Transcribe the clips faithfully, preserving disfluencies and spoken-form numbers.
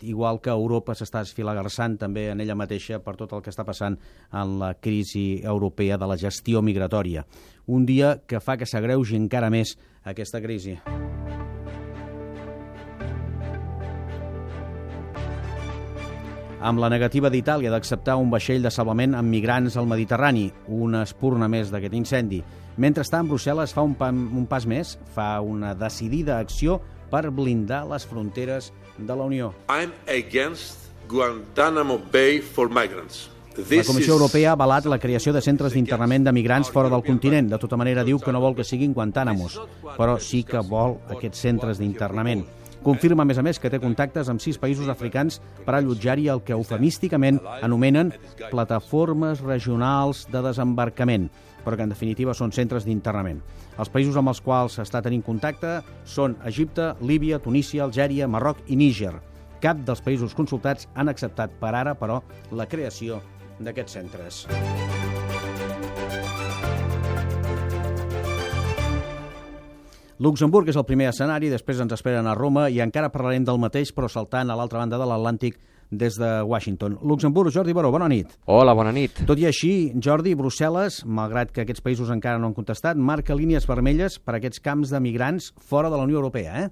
igual que Europa s'està esfilagarçant també en ella mateixa per tot el que està passant en la crisi europea de la gestió migratòria. Un dia que fa que s'agreugi encara més aquesta crisi. Amb la negativa d'Itàlia d'acceptar un vaixell de salvament amb migrants al Mediterrani, una espurna més d'aquest incendi. Mentrestant, Brussel·les fa un, pa, un pas més, fa una decidida acció per blindar les fronteres de la Unió. I'm against Guantanamo Bay for migrants. La Comissió Europea ha avalat la creació de centres d'internament de migrants fora del continent. De tota manera, diu que no vol que siguin Guantánamos, però sí que vol aquests centres d'internament. Confirma, a més a més, que té contactes amb sis països africans per allotjar-hi el que eufemísticament anomenen plataformes regionals de desembarcament, però que en definitiva són centres d'internament. Els països amb els quals està tenint contacte són Egipte, Líbia, Tunísia, Algèria, Marroc i Níger. Cap dels països consultats han acceptat per ara, però, la creació d'aquests centres. Luxemburg és el primer escenari, després ens esperen a Roma i encara parlarem del mateix, però saltant a l'altra banda de l'Atlàntic des de Washington. Luxemburg, Jordi Baró, bona nit. Hola, bona nit. Tot i així, Jordi, Brussel·les, malgrat que aquests països encara no han contestat, marca línies vermelles per a aquests camps de migrants fora de la Unió Europea, eh?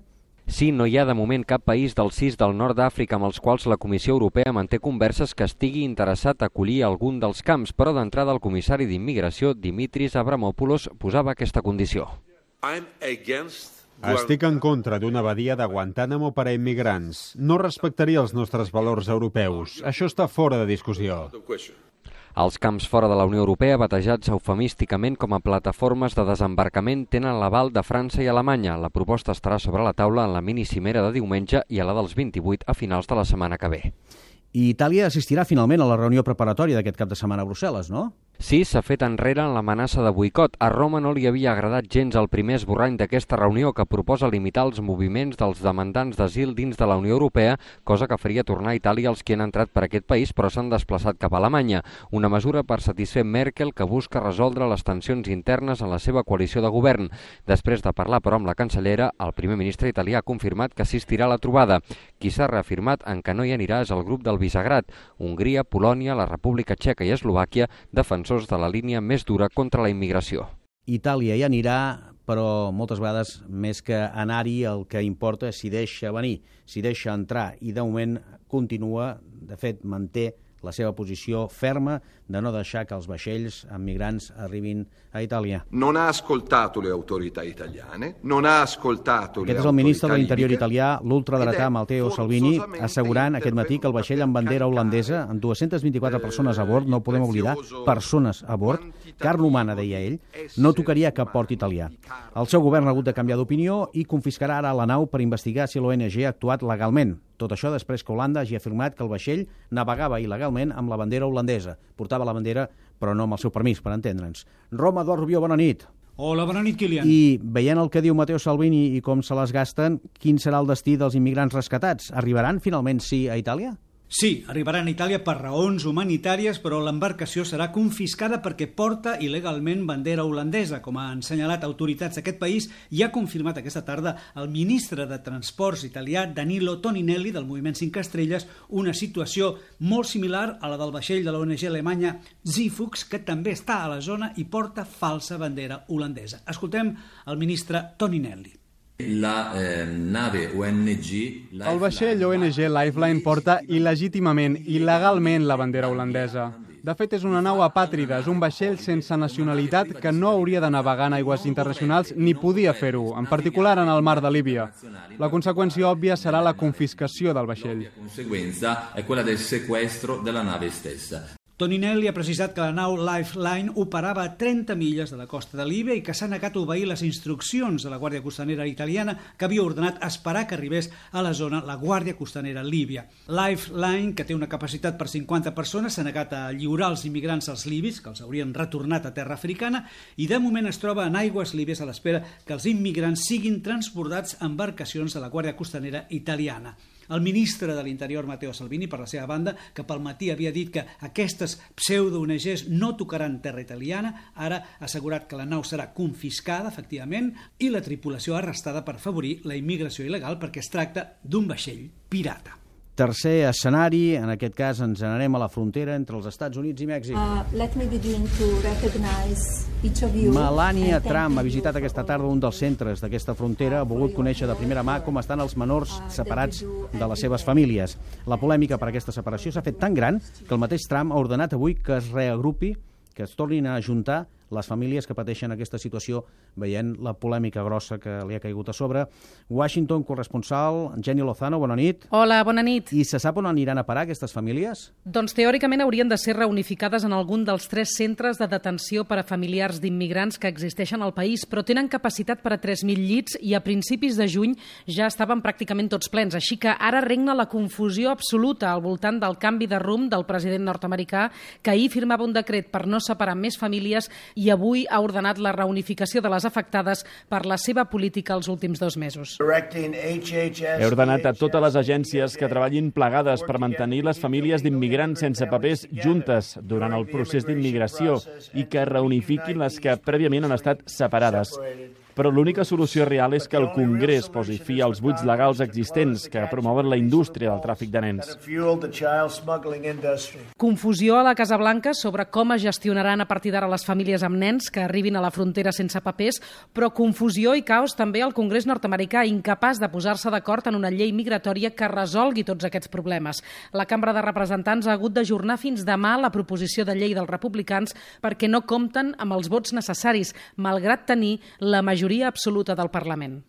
Sí, no hi ha de moment cap país dels sis del nord d'Àfrica amb els quals la Comissió Europea manté converses que estigui interessat a acollir algun dels camps, però d'entrada el comissari d'Immigració, Dimitris Avramopoulos, posava aquesta condició. Estic en contra d'una badia de Guantánamo per a immigrants. No respectaria els nostres valors europeus. Això està fora de discussió. Els camps fora de la Unió Europea, batejats eufemísticament com a plataformes de desembarcament, tenen l'aval de França i Alemanya. La proposta estarà sobre la taula en la minicimera de diumenge i a la dels vint-i-vuit a finals de la setmana que ve. I Itàlia assistirà finalment a la reunió preparatòria d'aquest cap de setmana a Brussel·les, no? Sí, s'ha fet enrere en l'amenaça de boicot. A Roma no li havia agradat gens el primer esborrany d'aquesta reunió que proposa limitar els moviments dels demandants d'asil dins de la Unió Europea, cosa que faria tornar a Itàlia els que han entrat per aquest país però s'han desplaçat cap a Alemanya. Una mesura per satisfer Merkel que busca resoldre les tensions internes en la seva coalició de govern. Després de parlar, però, amb la cancellera, el primer ministre italià ha confirmat que assistirà a la trobada. Qui s'ha reafirmat en que no hi anirà és el grup del Visegrad, Hongria, Polònia, la República Txeca i Eslovàquia, defensors de la línia més dura contra la immigració. Itàlia hi anirà, però moltes vegades més que anar-hi el que importa és si deixa venir, si deixa entrar, i de moment continua, de fet manté la seva posició ferma de no deixar que els vaixells amb migrants arribin a Itàlia. Non ha ascoltato le autorità italiane, non ha ascoltato le Aquest és el ministre de l'Interior italià, l'ultradretà Matteo Salvini, assegurant aquest matí que el vaixell amb bandera holandesa, amb dues-centes vint-i-quatre persones a bord, no ho podem oblidar, persones a bord, carn humana, deia ell, no tocaria cap port italià. El seu govern ha hagut de canviar d'opinió i confiscarà ara la nau per investigar si l'O N G ha actuat legalment. Tot això després que Holanda hagi afirmat que el vaixell navegava il·legalment amb la bandera holandesa. Portava la bandera, però no amb el seu permís, per entendre'ns. Roma, Eduard Rubió, bona nit. Hola, bona nit, Kilian. I veient el que diu Matteo Salvini i com se les gasten, quin serà el destí dels immigrants rescatats? Arribaran finalment sí a Itàlia? Sí, arribaran a Itàlia per raons humanitàries, però l'embarcació serà confiscada perquè porta il·legalment bandera holandesa, com han assenyalat autoritats d'aquest país i ha confirmat aquesta tarda el ministre de Transports italià Danilo Toninelli del Moviment cinc Estrelles, una situació molt similar a la del vaixell de la O N G alemanya Zifux, que també està a la zona i porta falsa bandera holandesa. Escoltem el ministre Toninelli. La eh, nave O N G... El vaixell O N G Lifeline porta il·legítimament, il·legalment la bandera holandesa. De fet, és una nau apàtrida, és un vaixell sense nacionalitat que no hauria de navegar en aigües internacionals ni podia fer-ho, en particular en el mar de Líbia. La conseqüència òbvia serà la confiscació del vaixell. La conseqüència és quella del sequestro de la nave stessa. Toninelli ha precisat que la nau Lifeline operava a trenta milles de la costa de Líbia i que s'ha negat a obeir les instruccions de la Guàrdia Costanera italiana que havia ordenat esperar que arribés a la zona la Guàrdia Costanera líbia. Lifeline, que té una capacitat per cinquanta persones, s'ha negat a lliurar els immigrants als libis, que els haurien retornat a terra africana, i de moment es troba en aigües líbies a l'espera que els immigrants siguin transbordats en embarcacions de la Guàrdia Costanera italiana. El ministre de l'Interior, Matteo Salvini, per la seva banda, que pel matí havia dit que aquestes pseudo-O N Ges no tocaran terra italiana, ara ha assegurat que la nau serà confiscada, efectivament, i la tripulació arrestada per afavorir la immigració il·legal perquè es tracta d'un vaixell pirata. Tercer escenari, en aquest cas ens n'anem a la frontera entre els Estats Units i Mèxic. Uh, let me begin to recognize each of you. Melania Trump ha visitat aquesta tarda un dels centres d'aquesta frontera, ha volgut conèixer de primera mà com estan els menors separats de les seves famílies. La polèmica per aquesta separació s'ha fet tan gran que el mateix Trump ha ordenat avui que es reagrupi, que es tornin a ajuntar les famílies que pateixen aquesta situació, veient la polèmica grossa que li ha caigut a sobre. Washington, corresponsal, Jenny Lozano, bona nit. Hola, bona nit. I se sap on aniran a parar aquestes famílies? Doncs teòricament haurien de ser reunificades en algun dels tres centres de detenció per a familiars d'immigrants que existeixen al país, però tenen capacitat per a tres mil llits i a principis de juny ja estaven pràcticament tots plens, així que ara regna la confusió absoluta al voltant del canvi de rumb del president nord-americà, que ahir firmava un decret per no separar més famílies i avui ha ordenat la reunificació de les afectades per la seva política els últims dos mesos. He ordenat a totes les agències que treballin plegades per mantenir les famílies d'immigrants sense papers juntes durant el procés d'immigració i que reunifiquin les que prèviament han estat separades. Però l'única solució real és que el Congrés posi fi als buits legals existents que promouen la indústria del tràfic de nens. Confusió a la Casa Blanca sobre com es gestionaran a partir d'ara les famílies amb nens que arribin a la frontera sense papers, però confusió i caos també al Congrés nord-americà, incapaç de posar-se d'acord en una llei migratòria que resolgui tots aquests problemes. La Cambra de Representants ha hagut d'ajornar fins demà la proposició de llei dels republicans perquè no compten amb els vots necessaris, malgrat tenir la majoria absoluta del Parlament.